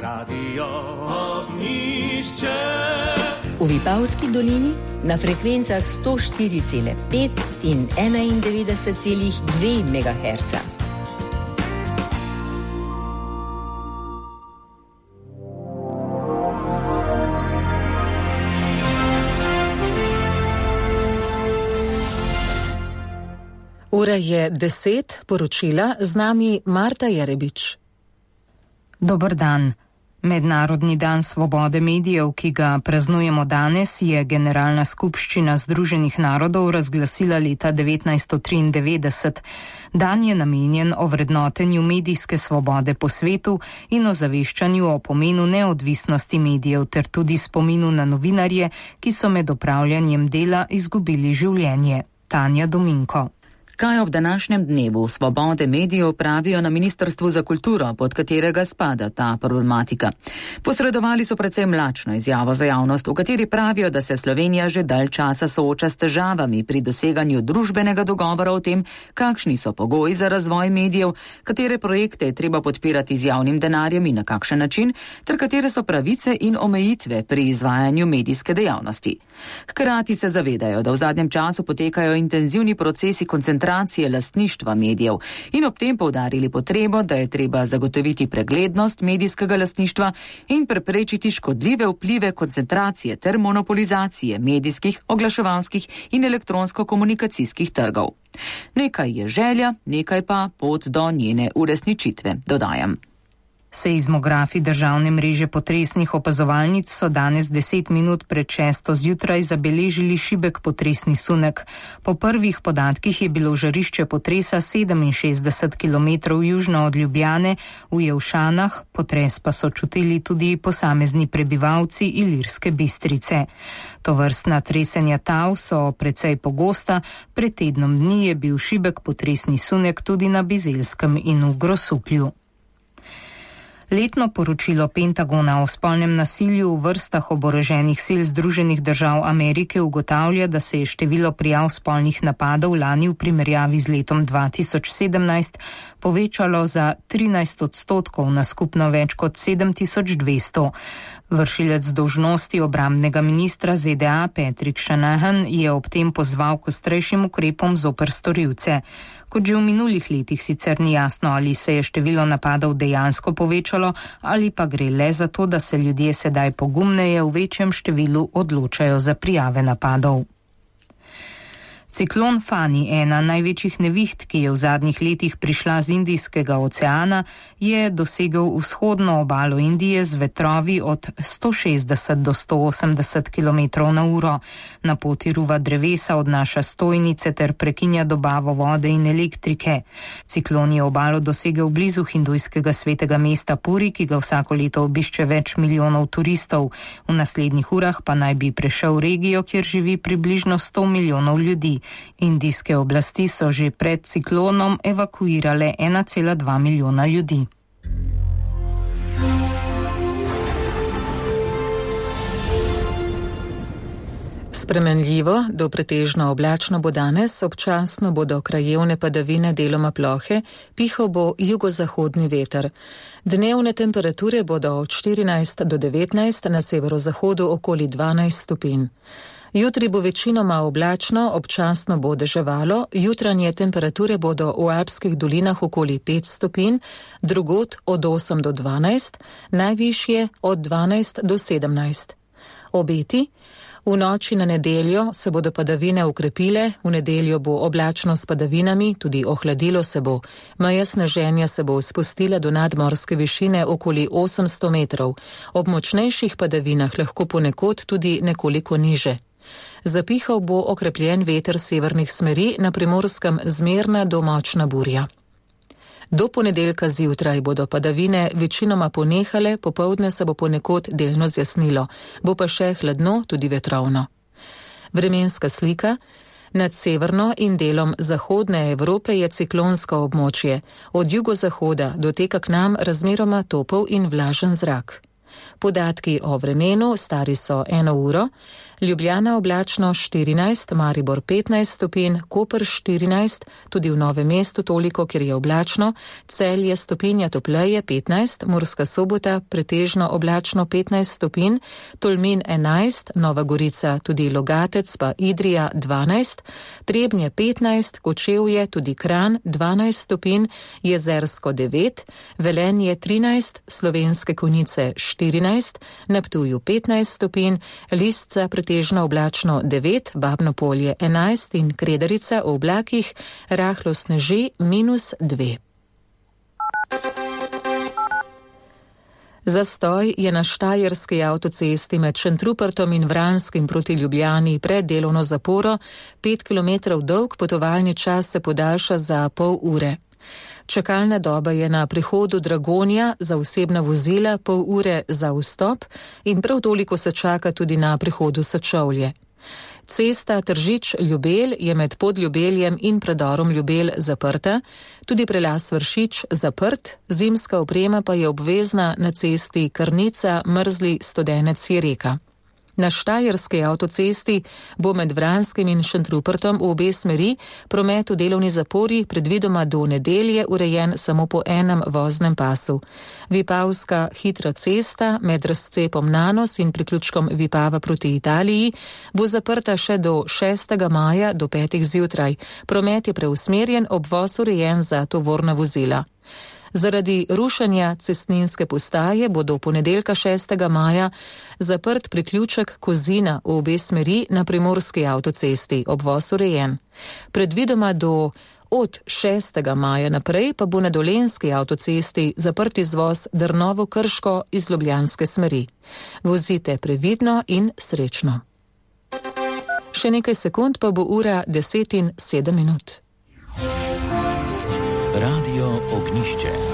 Radio Ognjišče. V Vipavski dolini na frekvencah 104,5 in 91,2 MHz. Ura je 10, poročila, z nami Marta Jerebič. Dober dan. Mednarodni dan svobode medijev, ki ga praznujemo danes, je Generalna skupščina Združenih narodov razglasila leta 1993. Dan je namenjen ovrednotenju medijske svobode po svetu in ozaveščanju o pomenu neodvisnosti medijev ter tudi spominu na novinarje, ki so med opravljanjem dela izgubili življenje. Tanja Dominko. Kaj ob današnjem dnevu svobode medijev pravijo na Ministrstvu za kulturo, pod katerega spada ta problematika? Posredovali so precej mlačno izjavo za javnost, v kateri pravijo, da se Slovenija že dalj časa sooča s težavami pri doseganju družbenega dogovora o tem, kakšni so pogoji za razvoj medijev, katere projekte je treba podpirati z javnim denarjem in na kakšen način, ter katere so pravice in omejitve pri izvajanju medijske dejavnosti. Hkrati se zavedajo, da v zadnjem času potekajo intenzivni procesi koncentracije lastništva medijev in ob tem poudarili potrebo, da je treba zagotoviti preglednost medijskega lastništva in preprečiti škodljive vplive koncentracije ter monopolizacije medijskih, oglaševalskih in elektronsko-komunikacijskih trgov. Nekaj je želja, nekaj pa pot do njene uresničitve, dodajam. Seizmografi državne mreže potresnih opazovalnic so danes 10 minut pred 6. zjutraj zabeležili šibek potresni sunek. Po prvih podatkih je bilo žarišče potresa 67 km južno od Ljubljane v Jelšanah, potres pa so čutili tudi posamezni prebivalci Ilirske Bistrice. Tovrstna tresenja tal so precej pogosta, pred tednom dni je bil šibek potresni sunek tudi na Bizelskem in v Grosuplju. Letno poročilo Pentagona o spolnem nasilju v vrstah oboroženih sil Združenih držav Amerike ugotavlja, da se je število prijav spolnih napadov lani v primerjavi z letom 2017 povečalo za 13% na skupno več kot 7200. Vršilec dolžnosti obrambnega ministra ZDA Patrick Shanahan je ob tem pozval k ostrejšim ukrepom zoper storilce. Kot že v minulih letih sicer ni jasno, ali se je število napadov dejansko povečalo ali pa gre le za to, da se ljudje sedaj pogumneje v večjem številu odločajo za prijave napadov. Ciklon Fani, ena največjih neviht, ki je v zadnjih letih prišla z Indijskega oceana, je dosegel vzhodno obalo Indije z vetrovi od 160 do 180 km/h. Na poti ruva drevesa, odnaša stojnice ter prekinja dobavo vode in elektrike. Ciklon je obalo dosegel blizu hindujskega svetega mesta Puri, ki ga vsako leto obišče več milijonov turistov. V naslednjih urah pa naj bi prešel regijo, kjer živi približno 100 milijonov ljudi. Indijske oblasti so že pred ciklonom evakuirale 1,2 milijona ljudi. Spremenljivo, do pretežno oblačno bo danes, občasno bodo krajevne padavine deloma plohe, pihal bo jugozahodni veter. Dnevne temperature bodo od 14 do 19, na severozahodu okoli 12 stopinj. Jutri bo večinoma oblačno, občasno bo deževalo, jutranje temperature bodo v alpskih dolinah okoli 5 stopinj, drugod od 8 do 12, najvišje od 12 do 17. Obeti: v noči na nedeljo se bodo padavine ukrepile, v nedeljo bo oblačno s padavinami, tudi ohladilo se bo. Meja sneženja se bo spustila do nadmorske višine okoli 800 metrov, ob močnejših padavinah lahko ponekod tudi nekoliko niže. Zapihal bo okrepljen veter severnih smeri, na Primorskem zmerna do močna burja. Do ponedeljka zjutraj bodo padavine večinoma ponehale, popoldne se bo ponekod delno zjasnilo, bo pa še hladno, tudi vetrovno. Vremenska slika: nad severno in delom zahodne Evrope je ciklonsko območje, od jugozahoda doteka k nam razmeroma topel in vlažen zrak. Podatki o vremenu stari so 1 uro, Ljubljana oblačno 14, Maribor 15 stopinj, Koper 14, tudi v Novem mestu toliko, ker je oblačno, Celje stopinja topleje 15, Murska Sobota pretežno oblačno 15 stopinj, Tolmin 11, Nova Gorica tudi Logatec pa Idrija 12, Trebnje 15, Kočevje tudi Kranj 12 stopinj, Jezersko 9, Velenje 13, Slovenske Konjice 14, na Ptuju 15 stopinj, Lisca pretežno oblačno 9, Babno Polje 11 in Kredarica v oblakih rahlo sneži -2. Zastoj je na štajerski avtocesti med Šentrupertom in Vranskim proti Ljubljani pred delovno zaporo, 5 km dolg potovalni čas se podaljša za pol ure. Čakalna doba je na prihodu Dragonja za osebna vozila pol ure za vstop in prav toliko se čaka tudi na prihodu Sečovlje. Cesta Tržič-Ljubelj je med Podljubeljem in predorom Ljubelj zaprta, tudi prelaz Vršič zaprt, zimska oprema pa je obvezna na cesti Krnica-Mrzli-Studenec-Jereka. Na štajerski avtocesti bo med Vranskim in Šentrupertom v obe smeri promet v delovni zapori predvidoma do nedelje urejen samo po enem voznem pasu. Vipavska hitra cesta med razcepom Nanos in priključkom Vipava proti Italiji bo zaprta še do 6. maja do 5. zjutraj. Promet je preusmerjen, obvoz urejen za tovorna vozila. Zaradi rušenja cestninske postaje bo do ponedeljka 6. maja zaprt priključek Kozina v obe smeri na primorski avtocesti, obvoz urejen. Predvidoma od 6. maja naprej pa bo na dolenjski avtocesti zaprt izvoz Drnovo-Krško iz ljubljanske smeri. Vozite previdno in srečno. Še nekaj sekund pa bo ura 10:07. Radio Ognišče.